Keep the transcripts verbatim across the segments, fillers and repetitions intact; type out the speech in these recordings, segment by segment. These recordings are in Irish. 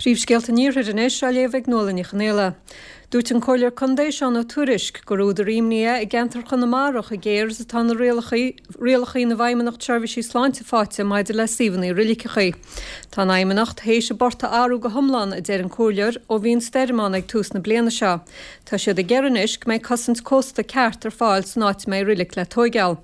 Príomhscéalta an Iarthair anois á léamh ag Nuala Ní Chonghaile. Dúirt an Comhairleoir Contae Seán Ó Tuairisg gur údar imní é i gceantar Chonamara chomh géar is atá na rialacha ina bhFeidhmeannacht Seirbhísí Sláinte faighte maidir le suíomhanna roiliceacha. Tá an Fheidhmeannacht théis a bport a athrú go hiomlán, a deir an Comhairleoir, ó bhí an stoirm ann ag tús na bliana seo. Tá siad ag iarraidh anois go mbeidh cosaint cósta ceart ar fáil san áit a mbeidh roilig le tóigeáil.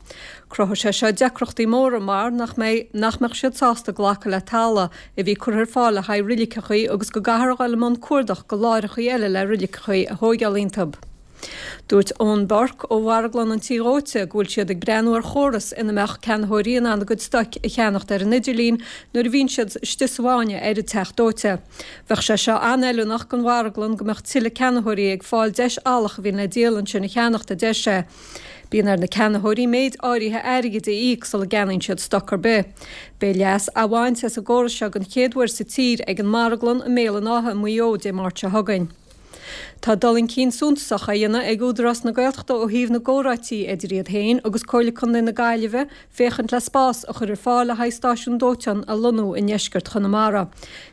Cruthóidh sé seo deacrachtaí móra mar nach mbeidh nach mbeadh siad sásta glacadh le talamh a bhí curtha ar fáil le haghaidh roiliceacha agus go gcaithfear a dhul i mbun cuardach go láithreacha eile le roiliceacha a thóigeáil iontu. Dúirt Eoin Burke ó Mharglann an Tí Dhóite go bhfuil siad ag breathnú ar chóras ina mbeadh ceannaitheoirí in ann a gcuid stoic a cheannacht ar an idirlíon nuair a bhíonn siad istigh sa bhfáinne ar an teach dóite. Bheadh sé seo an-fheiliúnach don mharglann go mbeadh tuilleadh ceannaitheoirí ag fáil deis eallach a bhíonn le díol ansin a cheannacht, a deir sé. Bíonn ar na ceannaitheoirí méid áirithe airgid a íoc sula gceannaíonn siad stoc ar bith. Beidh leas á bhaint as an gcóras seo den chéad uair sa tír ag an marglann i mBéal an Átha i Maigh Eo Dé Máirt seo chugainn. Tá dul chun cinn suntasach á dhéanamh ag Údarás na Gaeltachta ó thaobh na gcomhráití idir iad féin agus Comhairle Contae na Gaillimhe féachaint le spás a chur ar fáil le haghaidh stáisiún dóiteáin a lonnú i ndeisceart Chonamara.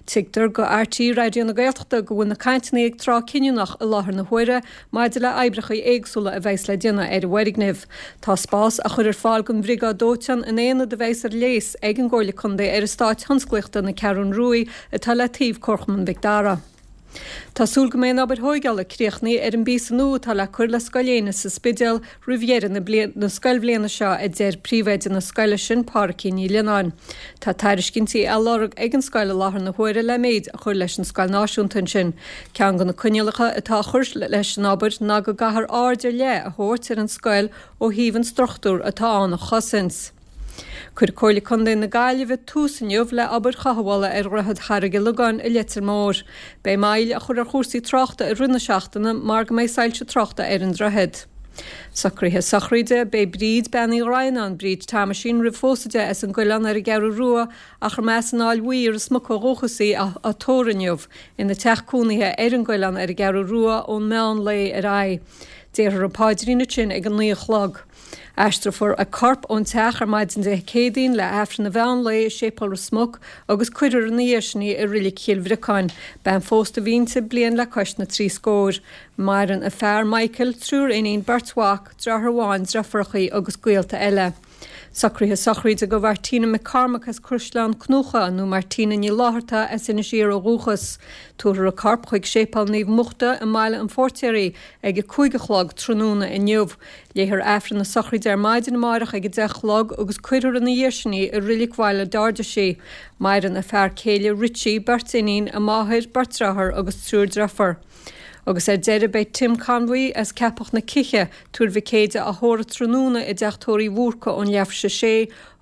Tuigtear go RTÉ Raidió na Gaeltachta go bhfuil na cainteanna ag tráth cinniúnach i láthair na huaire maidir le oibreacha éagsúla a bheas le déanamh ar an bhfoirgneamh. Tá spás á chur ar fáil don bhriogáid dóiteáin in aonad a bheas ar léas ag an gComhairle Contae ar eastát thionsclaíochta na Ceathrún Ruaidh atá le taobh Comharchumann Mhic Dara. Tá súil go mbeidh an obair thóigeála críochnaithe ar an bpíosa nua atá le cur le Scoil Éanna sa Spidéal roimh dheireadh na na scoilbhliana seo, a deir príomhoide na scoile sin, Pádraigín Ní Lionáin. Tá tairiscintí á lorg ag an scoil i láthair na huaire le méid a chur leis an scoil náisiúnta ansin. Ceann de na coinníollacha atá á chur leis an obair ná go gcaithfear aird ar leith a thabhairt ar an scoil ó thaobh an struchtúr atá ann a chosaint. Chuir Comhairle Contae na Gaillimhe tús inniu le obair chothabhála ar Dhroichead Charraig an Logáin i Leitir Móir. Beidh moill á chur ar chúrsaí tráchta i rith na seachtaine mar go mbeidh soilse tráchta ar an droichead. Socruithe sochraide, Beidh Bríd Bean Uí Dhroighneáin, Bríd Thomaisín, roimh phósadh di as an gCoileán ar an gCeathrú Rua ach ar meas an Fháil Bhuí i Ros Muc ó dhúchas í, á tórramh inniu ina teach cónaithe ar an gCoileán ar an gCeathrú Rua ón meán lae ar aghaidh. Déarfar an paidrín ansin ag a naoi a chlog. Aistreofar a corp ón teach ar maidin Dé Céadaoin le hAifreann an mheán lae i Séipéal Ros Muc agus cuirfear ina dhiaidh sin í i Reilig Chill Bhriocáin. Bean phósta a bhí inti, bliain le cois na trí scór. Maireann a fear, Michael, triúr iníon, beirt mhac, deartháir amháin, deirfiúracha agus gaolta eile. Socruithe sochraide do Mhartina McCormack as Caisleán Cnucha nó Martina Ní Fhlatharta as Inis Oírr ó dhúchas. Tabharfar a corp chuig Séipéal Naomh Muchta i mBaile an Phóirtéaraigh ag a cúig a chlog tráthnóna inniu. Léifear Aifreann na sochraide ar maidin amárach ag a deich a chlog agus cuirfear ina dhiaidh sin í i Reilig Bhaile Dardis í. Maireann a fear céile Richie, beirt iníon, a máthair, beirt dearthár agus triúr deirfiúr. Agus ar deireadh beidh Tim Conway as Ceapach na Cíche, Tuar Mhic Éide á thórramh tráthnóna i dteach tórraimh Bhúrca ón leathuair tar éis a sé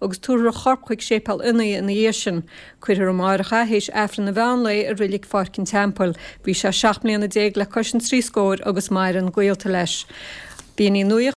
agus tabharfar a chorp chuig Séipéal Fhionnaidh ina dhiaidh sin. Cuirfear amárach é théis Aifreann an mheán lae i Reilig Pháirc an Teampaill. Bhí sé seacht mbliana déag le cois an trí scóir agus maireann gaolta leis. B'in í nuacht.